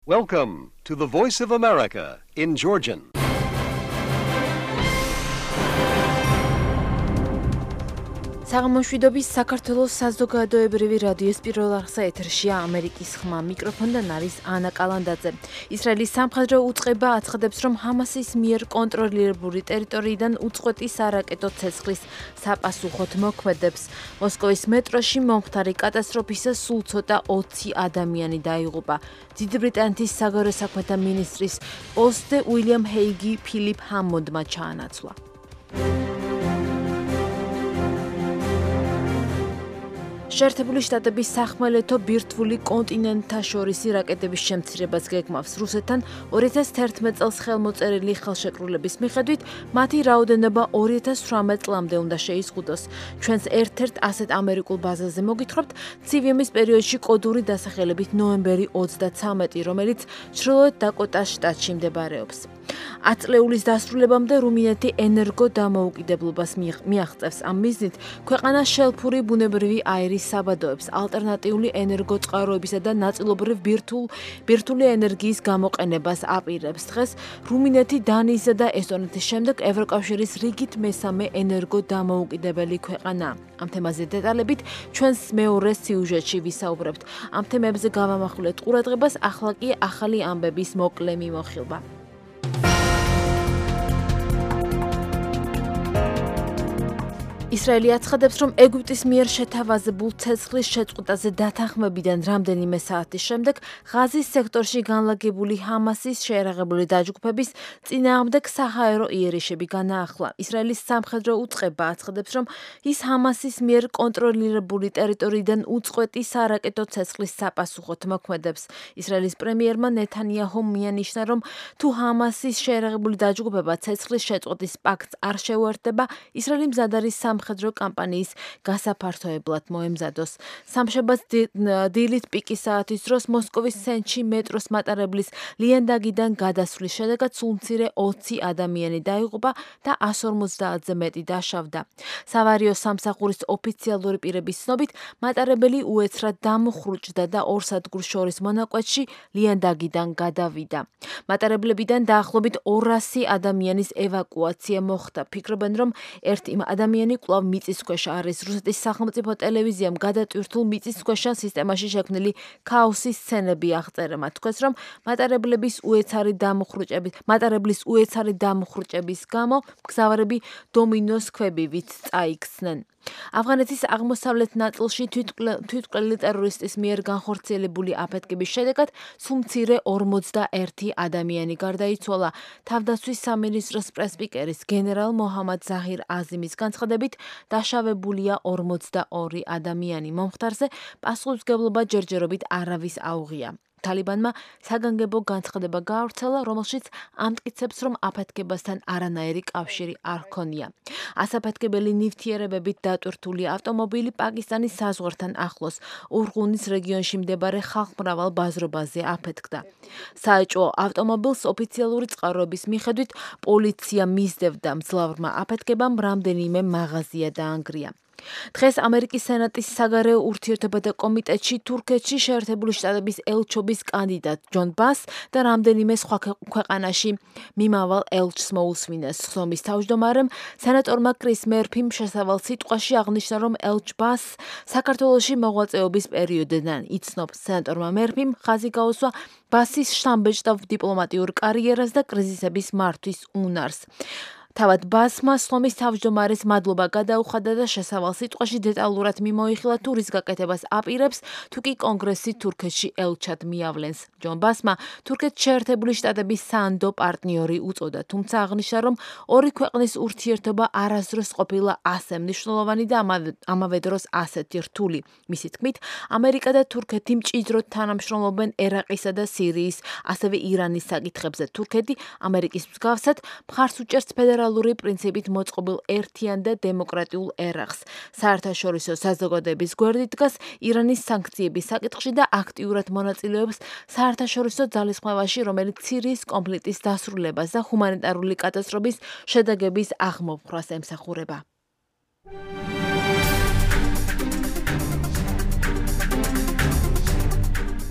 Welcome to the Voice of America in Georgian. საღამოშვიდობის საქართველოს საზოგადოებრივი რადიოს პირველ არხსა ეთერშია ამერიკის ხმა. მიკროფონიდან არის ანა კალანდაძე. ისრაელის სამხედრო უწყება აცხადებს, რომ ჰამასის მიერ კონტროლირებული ტერიტორიიდან უწყვეტი სარაკეტო ცეცხლის საპასუხოდ მოქმედებს. მოსკოვის მეტროში მომხდარი კატასტროფისას სულ ცოტა 20 ადამიანი დაიღუპა. დიდი ბრიტანეთის საგარეო საქმეთა მინისტრის პოსტზე უილიამ ჰეიგი ფილიპ ჰამონდმა ჩაანაცვლა. შეერთებული შტატების სახმელეთო ბირთვული კონტინენტთაშორისი რაკეტების შემცირებას გეგმავს. რუსეთთან 2011 წელს ხელმოწერილი ხელშეკრულების მიხედვით მათი რაოდენობა 2018 წლამდე უნდა შეიზღუდოს. ჩვენს ერთ-ერთ ასეთ ამერიკულ ბაზაზე მოგითხრობთ ცივი ომის პერიოდში კოდური დასახელებით ნოემბერი 33, რომელიც ჩრდილოეთ დაკოტას შტატში მდებარეობს. 10 წლეულის დასრულებამდე რუმინეთი ენერგო დამოუკიდებლობას მიაღწევს. ამ მიზნით ქვეყანა შელფური ბუნებრივი აირის საბადოებს, ალტერნატიული ენერგოწყაროებისა და ნაწილობრივ ბირთვული ენერგიის გამოყენებას აპირებს. დღეს რუმინეთი დანიისა და ესტონეთის შემდეგ ევროკავშირის რიგით მესამე ენერგო დამოუკიდებელი ქვეყანაა. ამ თემაზე დეტალებით ჩვენს მეორე სიუჟეტში ვისაუბრებთ. ამ თემებზე გავამახვილეთ ყურადღებას, ახლა კი ახალი ამბების მოკლე მიმოხილვა. ისრაელი აცხადებს, რომ ეგვიპტის მიერ შეთავაზებულ ცეცხლის შეწყვეტაზე დათანხმებიდან რამდენიმე საათის შემდეგ ღაზის სექტორში განლაგებული ჰამასის შეერაღებული დაჯგუფების წინააღმდეგ საჰაერო იერიშები განაახლა. ისრაელის სამხედრო უწყება აცხადებს, რომ ის ჰამასის მიერ კონტროლირებული ტერიტორიიდან უწყვეტი სარაკეტო ცეცხლის საპასუხოდ მოქმედებს. ისრაელის პრემიერმა ნეთანიაჰუმ მიანიშნა, რომ თუ ჰამასის შეერაღებული დაჯგუფება ცეცხლის შეწყვეტის პაქტს არ შეუერთდება, ისრაელი მზად არის სამხედრო კამპანიის გასაფართოებლად მოემზადოს. სამშაბათს დილით პიკის საათის დროს მოსკოვის ცენტრში მეტროს მატარებლის ლიანდაგიდან გადასვლის შედეგად სულ მცირე 20 ადამიანი დაიღუპა და 150-ზე მეტი დაშავდა. სავარიო სამსახურის ოფიციალური პირების ცნობით, მატარებელი უეცრად დამუხრუჭდა და ორ სადგურს შორის მონაკვეთში ლიანდაგიდან გადავიდა. მატარებლებიდან დაახლოებით 200 ადამიანის ევაკუაცია მოხდა. ფიქრობენ, რომ ერთი ადამიანი კვლავ მიწისქვეშ არის. რუსეთის სახელმწიფო ტელევიზიამ გადატვირთულ მიწისქვეშა სისტემაში შექმნილი ქაოსის სცენები აღწერა. მათ თქვეს, რომ მატარებლის უეცარი დამუხრუჭების გამო მგზავრები დომინოს ქვებივით წაიქცნენ. ავღანეთის აღმოსავლეთ ნაწილში თვითმკვლელი ტერორისტის მიერ განხორციელებული აფეთქების შედეგად სულ მცირე 41 ადამიანი გარდაიცვალა. თავდაცვის სამინისტროს პრესპიკერის გენერალ მოჰამად ზაჰირ აზიმის განცხადებით დაშავებულია 42 ადამიანი. მომხდარზე პასუხისმგებლობა ჯერჯერობით არავის აუღია. თალიბანმა საგანგებო განცხადება გაავრცელა, რომელშიც ამტკიცებს, რომ აფეთქებასთან არანაირი კავშირი არ ჰქონია. ასაფეთქებელი ნივთიერებებით დატვირთული ავტომობილი პაკისტანის საზღვართან ახლოს ურღუნის რეგიონში მდებარე ხალხმრავალ ბაზრობაზე აფეთქდა. საეჭვო ავტომობილს ოფიციალური წყაროების მიხედვით პოლიცია მისდევდა. მძლავრმა აფეთქებამ რამდენიმე მაღაზია დაანგრია. დღეს ამერიკის სენატის საგარეო ურთიერთობათა კომიტეტში თურქეთში შეერთებული შტატების ელჩობის კანდიდატ ჯონ ბას და რამდენიმე სხვა ქვეყანაში მიმავალ ელჩს მოусვინეს. ხსოვნის თავმჯდომარემ სენატორმა კრის მერფიმ შესავალ სიტყვაში აღნიშნა, რომ ელჩ ბას საქართველოში მოღვაწეობის პერიოდიდან იცნობს. სენატორმა მერფიმ ხაზი გაუსვა ბასის შთამბეჭდავ დიპლომატიურ კარიერას და კრიზისების მართვის უნარს. თავად ბასმა სლომის თავმჯდომარის მადლობა გადაუხადა და შესავალ სიტყვაში დეტალურად მიმოიხილა თუ რის გაკეთებას აპირებს, თუ კი კონგრესი თურქეთში ელჩად მიავლენს. ჯონ ბასმა თურქეთს შეერთებული შტატების საანდო პარტნიორი უწოდა, თუმცა აღნიშნა, რომ ორი ქვეყნის ურთიერთობა არასდროს ყოფილა ასე მნიშვნელოვანი და ამავე დროს ასეთი რთული. მისი თქმით, ამერიკა და თურქეთი მჭიდროდ თანამშრომლობენ ერაყისა და სირიის, ასევე ირანის საკითხებზე. თურქეთი ამერიკის მსგავსად მხარს უჭერს ფედერალური პრინციპით მოწყობილ ერთიან და დემოკრატიულ ერაყს. საერთაშორისო საზოგადოების გვერდით დგას ირანის სანქციების საკითხში და აქტიურად მონაწილეობს საერთაშორისო ძალისხმევაში, რომელიც სირიის კონფლიქტის დასრულებას და ჰუმანიტარული კატასტროფის შედეგების აღმოფხვრას ემსახურება.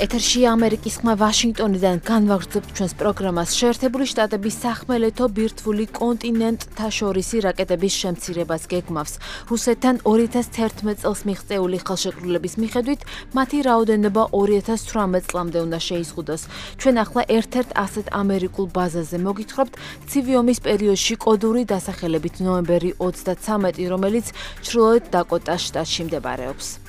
ეთერში ამერიკის ხმა ვაშინგტონიდან განვაგრძობთ ჩვენს პროგრამას. შეერთებული შტატების სახმელეთო ბირთვული კონტინენტთა შორისი რაკეტების შემცირებას გეგმავს. რუსეთთან 2011 წელს მიღწეული ხელშეკრულების მიხედვით მათი რაოდენობა 2018 წლამდე უნდა შეიზღუდოს. ჩვენ ახლა ერთ-ერთ ასეთ ამერიკულ ბაზაზე მოგითხრობთ ცივი ომის პერიოდში კოდური დასახელებით ნოემბერი 33, რომელიც ჩრდილოეთ დაკოტას შტატში მდებარეობს.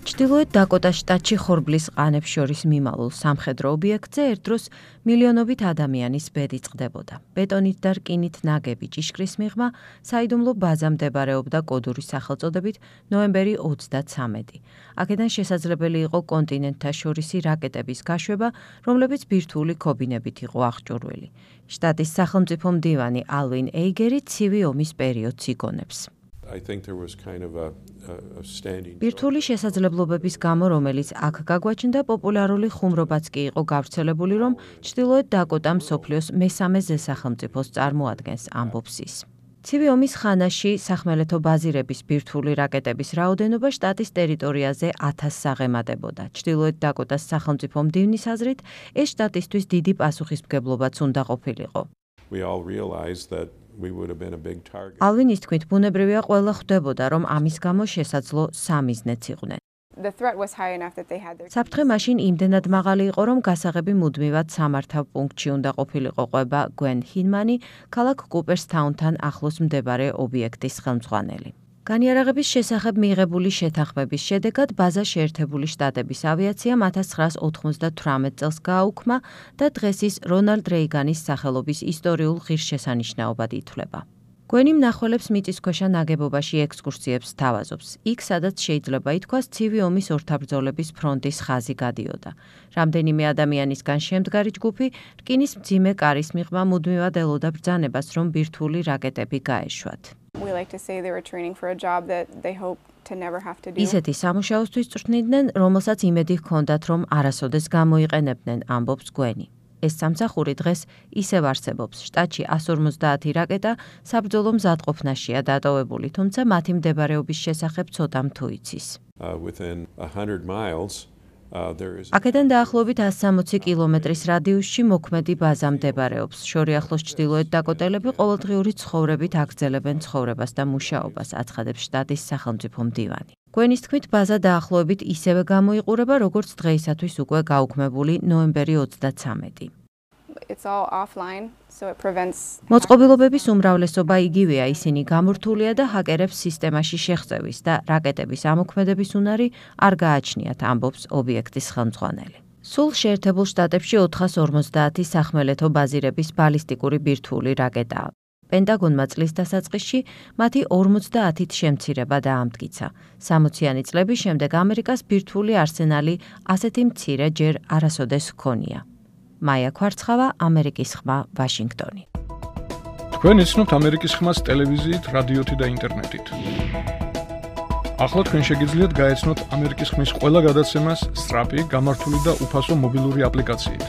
ჩრდილოეთ დაკოტას შტატში ხორბლის ყანებს შორის მიმალულ სამხედრო ობიექტზე ერთდროს მილიონობით ადამიანის ბედი წყდებოდა. ბეტონით და რკინით ნაგები ჭიშკრის მიღმა საიდუმლო ბაზა მდებარეობდა კოდური სახელწოდებით ნოემბერი 33. აქედან შესაძლებელი იყო კონტინენტთა შორისი რაკეტების გაშვება, რომლებიც ბირთვული ქობინებით იყო აღჭურვილი. შტატის სახელმწიფო მდივანი ალვინ ეიგერი ცივი ომის პერიოდს იგონებს. ბირთვული შესაძლებლობების გამო, რომელიც აქ გაგვაჩნდა, პოპულარული ხუმრობაც კი იყო გავრცელებული, რომ ჩრდილოეთ დაკოტა მსოფლიოს მესამე ზესახელმწიფოს წარმოადგენს, ამბობს ის. ცივი ომის ხანაში სახმელეთო ბაზირების ბირთვული რაკეტების რაოდენობა შტატის ტერიტორიაზე 1000-ს აღემატებოდა. ჩრდილოეთ დაკოტას სახელმწიფო მდივნის აზრით, ეს შტატისთვის დიდი პასუხისმგებლობაც უნდა ყოფილიყო. ალვინის თქმით, ბუნებრივია ყველა ხვდებოდა, რომ ამის გამო შესაძლო სამიზნეც იყვნენ. საფრთხე მაშინ იმდენად მაღალი იყო, რომ გასაღები მუდმივად სამართავ პუნქტში უნდა ყოფილიყო, ყვება გვენ ჰინმანი, ქალაქ კუპერსთაუნთან ახლოს მდებარე ობიექტის ხელმძღვანელი. განიარაღების შესახებ მიიღებული შეთანხმების შედეგად ბაზა შეერთებული შტატების ავიაციამ 1998 წელს გააუქმა და დღეს ის რონალდ რეიგანის სახელობის ისტორიულ ღირსშესანიშნაობად ითვლება. გვენი მნახველებს მიწისქვეშა ნაგებობაში ექსკურსიებს სთავაზობს. იქ, სადაც შეიძლება ითქვას, ცივი ომის ორთაბრძოლების ფრონტის ხაზი გადიოდა. რამდენიმე ადამიანისგან შემდგარი ჯგუფი რკინის მძიმე კარის მიღმა მუდმივად ელოდა ბრძანებას, რომ ბირთვული რაკეტები გაეშვათ. ისეთი სამუშაოსთვის წვრთნიდნენ, რომელსაც იმედი ჰქონდათ, რომ არასოდეს გამოიყენებდნენ, ამბობს გვენი. ეს სამსახური დღეს ისევ არსებობს. შტატში 150 რაკეტა საბრძოლო მზადყოფნაშია დატოვებული, თუმცა მათი მდებარეობის შესახებ ცოტამ თუ იცის. აქედან დაახლოებით 160 კილომეტრის რადიუსში მოქმედი ბაზა მდებარეობს. შორიახლოს ჩრდილოეთ დაკოტელები ყოველდღიური ცხოვრებით აგრძელებენ ცხოვრებას და მუშაობას, აცხადებს შტატის სახელმწიფო მდივანი. გვენის თქმით, ბაზა დაახლოებით ისევე გამოიყურება, როგორც დღეისათვის უკვე გაუქმებული ნოემბერი 33. მოწყობილობების უმრავლესობა იგივეა, ისინი გამორთულია და ჰაკერებს სისტემაში შეღწევის და რაკეტების ამოქმედების უნარი არ გააჩნიათ, ამბობს ობიექტის ხელმძღვანელი. სულ შეერთებულ შტატებში 450 სახმელეთო ბაზირების ბალისტიკური ბირთვული რაკეტაა. პენტაგონმა წლის დასაწყისში მათი 50-ით შემცირება დაამტკიცა. 60-იანი წლების შემდეგ ამერიკას ბირთვული არსენალი ასეთი მცირე ჯერ არასოდეს ჰქონია. მაია ქვარცხავა, ამერიკის ხმა, ვაშინგტონი. თქვენ იცნობთ ამერიკის ხმას ტელევიზიით, რადიოთი და ინტერნეტით. ახლა თქვენ შეგიძლიათ გაეცნოთ ამერიკის ხმის ყველა გადაცემას სწრაფი, გამართული და უფასო მობილური აპლიკაციით.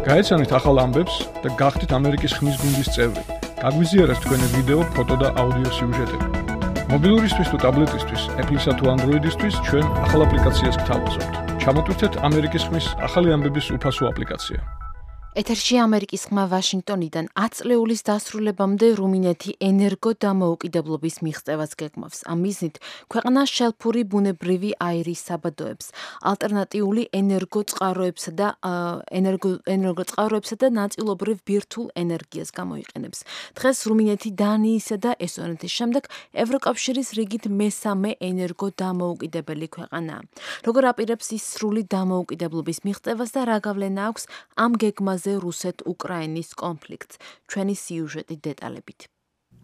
გაეცანით ახალ ამბებს და გახდით ამერიკის ხმის გუნდის წევრი. გაგვიზიარეთ თქვენი ვიდეო, ფოტო და აუდიო სიუჟეტები. მობილურისთვის თუ ტაბლეტისთვის, Apple-ისა თუ Android-ისთვის ჩვენ ახალ აპლიკაციას გთავაზობთ. ჩამოტვირთეთ ამერიკის ხმის ახალი ამბების უფასო აპლიკაცია. ეთერში ამერიკის ხმა ვაშინგტონიდან 10 წლეულის დასრულებამდე რუმინეთი ენერგო დამოუკიდებლობის მიღწევას გეგმავს. ამ მიზნით ქვეყანა შელფური ბუნებრივი აირის საბადოებს, ალტერნატიული ენერგოწყაროებსა და ნაწილობრივ ბირთვულ ენერგიას გამოიყენებს. დღეს რუმინეთი დანიისა და ესტონეთის შემდეგ ევროკავშირის რიგით მესამე ენერგო დამოუკიდებელი ქვეყანაა. როგორ აპირებს ის სრული დამოუკიდებლობის მიღწევას და რა გავლენა აქვს ამ გეგმაზე რუსეთ-უკრაინის კონფლიქტს, ჩვენი სიუჟეტი დეტალებით.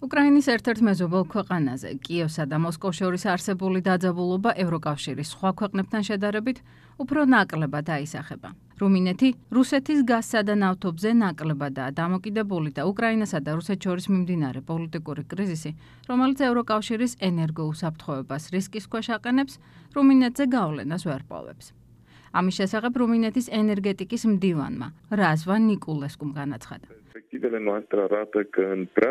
უკრაინის ერთ-ერთ მეზობელ ქვეყანაზე, კიევსა და მოსკოვს შორის არსებული დაძაბულობა ევროკავშირის სხვა ქვეყნებთან შედარებით უფრო ნაკლებად აისახება. რუმინეთი რუსეთის გაზსა და ნავთობზე ნაკლებადაა დამოკიდებული და უკრაინასა და რუსეთს შორის მიმდინარე პოლიტიკური კრიზისი, რომელიც ევროკავშირის ენერგოუსაფრთხოებას რისკის ქვეშ აყენებს, რუმინეთზე გავლენას ვერ პოვებს. ამის შესახებ რუმინეთის ენერგეტიკის მდივანმა რაზვა ნიკულესკუმ განაცხადა.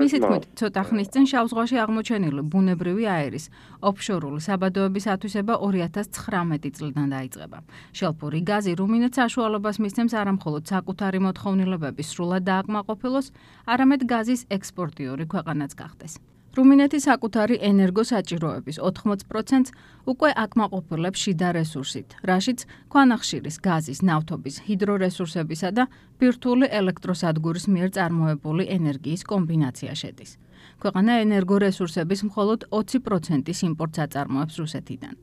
მისი თქმით, ცოტა ხნის წინ შავ ზღვაში აღმოჩენილი ბუნებრივი აერის ოფშორული საბადოების ათვისება 2019 წლიდან დაიწყება. შელფური გაზი რუმინეთს საშუალებას მისცემს არამხოლოდ საკუთარი მოთხოვნილებების სრულად დააკმაყოფილოს, არამედ გაზის ექსპორტიორი ქვეყანაც გახდეს. რუმინეთი საკუთარი ენერგოსაჭიროების 80%-ს უკვე აკმაყოფილებს შიდა რესურსით, რაშიც ქვანახშირის, გაზის, ნავთობის, ჰიდრორესურსებისა და ბირთვული ელექტროსადგურის მიერ წარმოებული ენერგიის კომბინაცია შედის. ქვეყანა ენერგორესურსების მხოლოდ 20%-ის იმპორტს აწარმოებს რუსეთიდან.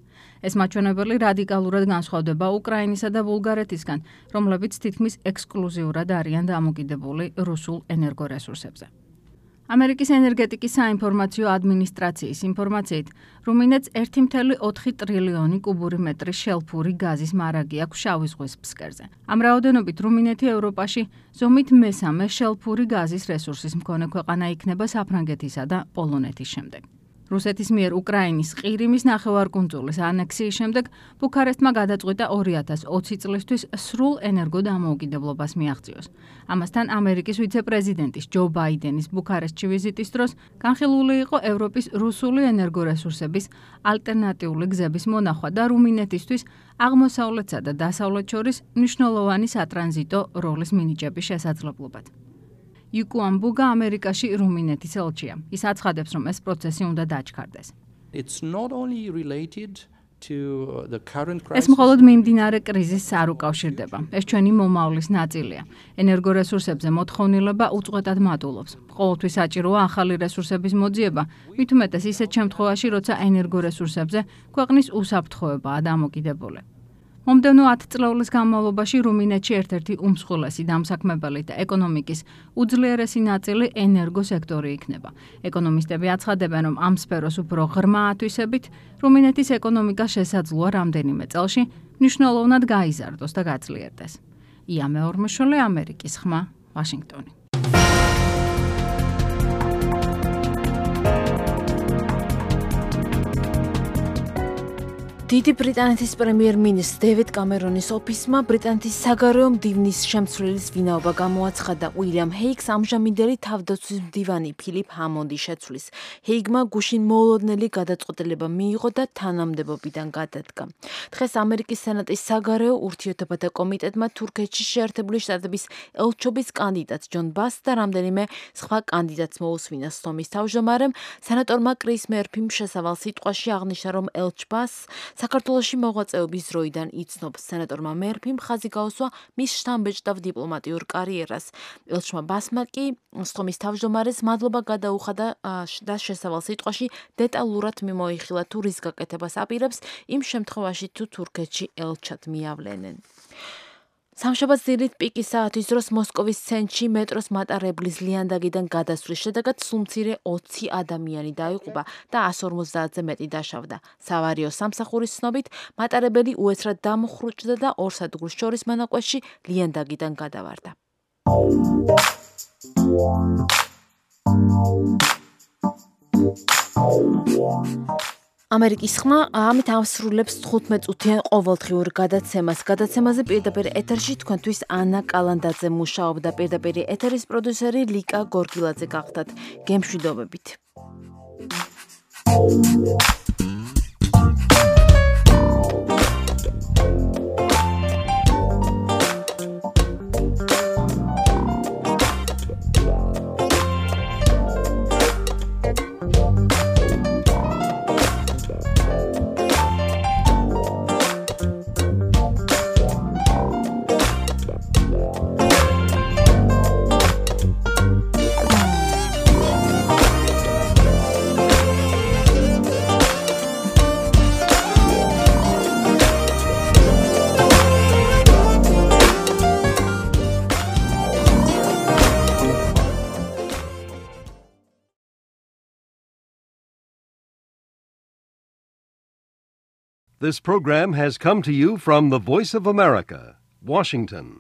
ეს მაჩვენებელი რადიკალურად განსხვავდება უკრაინისა და ბულგარეთისგან, რომლებიც თითქმის ექსკლუზიურად არიან დამოკიდებული რუსულ ენერგორესურსებზე. ამერიკის ენერგეტიკის საინფორმაციო ადმინისტრაციის ინფორმაციით, რუმინეთს 1,4 ტრილიონი კუბური მეტრის შელფური გაზის მარაგი აქვს შავი ზღვის ფსკერზე. ამ რაოდენობით რუმინეთი ევროპაში ზომით მესამე შელფური გაზის რესურსის მქონე ქვეყანა იქნება საფრანგეთისა და პოლონეთის შემდეგ. რუსეთის მიერ უკრაინის ყირიმის ნახევარკუნძულის ანექსიის შემდეგ ბუქარესტმა გადაწყვიტა 2020 წლისთვის სრულ ენერგოდამოუკიდებლობას მიაღწიოს. ამასთან ამერიკის ვიცე-პრეზიდენტის ჯო ბაიდენის ბუქარესტში ვიზიტის დროს განხილული იყო ევროპის რუსული ენერგორესურსების ალტერნატიული გზების მონახვა და რუმინეთისთვის აღმოსავლეთსა და დასავლეთ შორის მნიშვნელოვანი სატრანზიტო როლის მინიჭების შესაძლებლობად. იუკუამ ბუგა ამერიკაში რუმინეთის ელჩია. ის აცხადებს, რომ ეს პროცესი უნდა დაჩქარდეს. ეს მხოლოდ მიმდინარე კრიზისს არ უკავშირდება. ეს ჩვენი მომავლის ნაწილია. ენერგორესურსებზე მოთხოვნილება უწყვეტად მატულობს. ყოველთვის საჭიროა ახალი რესურსების მოძიება, მით უმეტეს ისეთ შემთხვევაში, როცა ენერგორესურსებზე ქვეყნის უსაფრთხოებაა დამოკიდებული. მომდევნო 10 წლეულის განმავლობაში რუმინეთში ერთ-ერთი უმსხვილესი დამსაქმებელი და ეკონომიკის უძლიერესი ნაწილი ენერგოსექტორი იქნება. ეკონომისტები აცხადებენ, რომ ამ სფეროს უფრო ღრმა ათვისებით რუმინეთის ეკონომიკა შესაძლოა რამდენიმე წელში მნიშვნელოვნად გაიზარდოს და გაძლიერდეს. ია მეორმოშვილი, ამერიკის ხმა, ვაშინგტონი. დიდი ბრიტანეთის პრემიერ-მინისტრ დევიდ კამერონის ოფისმა ბრიტანეთის საგარეო მდივნის შემცვლილის ვინაობა გამოაცხადა. უილიამ ჰეიგს ამჟამინდელი თავდაცვის მდივანი ფილიპ ჰამონდი შეცვლის. ჰეიგმა გუშინ მოულოდნელი გადაწყვეტილება მიიღო და თანამდებობიდან გადადგა. დღეს ამერიკის სენატის საგარეო ურთიერთობათა კომიტეტმა თურქეთში შეერთებული შტატების ელჩობის კანდიდატს ჯონ ბასს და რამდენიმე სხვა კანდიდატს მოუსმინა. სხდომის თავმჯდომარემ სენატორმა კრის მერფიმ შესავალ სიტყვაში აღნიშნა, რომ ელჩ ბასს საქართველოში მოღვაწეობის დროიდან იცნობს. სენატორმა მერფიმ ხაზი გაუსვა მის შთამბეჭდავ დიპლომატიურ კარიერას. ელჩმა ბასმა კი სხდომის თავმჯდომარეს მადლობა გადაუხადა და შესავალ სიტყვაში დეტალურად მიმოიხილა თუ რის გაკეთებას აპირებს იმ შემთხვევაში თუ თურქეთში ელჩად მიავლენენ. სამშაბათს დილით პიკის საათის დროს მოსკოვის ცენტრში მეტროს მატარებლის ლიანდაგიდან გადასვლის შედეგად სულ მცირე 20 ადამიანი დაიღუპა და 150-ზე მეტი დაშავდა. საავარიო სამსახურის ცნობით მატარებელი უეცრად დამხრუჭდა და ორ სადგურს შორის მონაკვეთში ლიანდაგიდან გადავარდა. ამერიკის ხმა ამით ავსრულებს 15 წუთიან ყოველდღიურ გადაცემას. გადაცემაზე პირდაპირ ეთერში თქვენთვის ანა კალანდაძე მუშაობდა. პირდაპირ ეთერის პროდიუსერი ლიკა გორგილაძე გახდათ. გემშვიდობებით. This program has come to you from the Voice of America, Washington.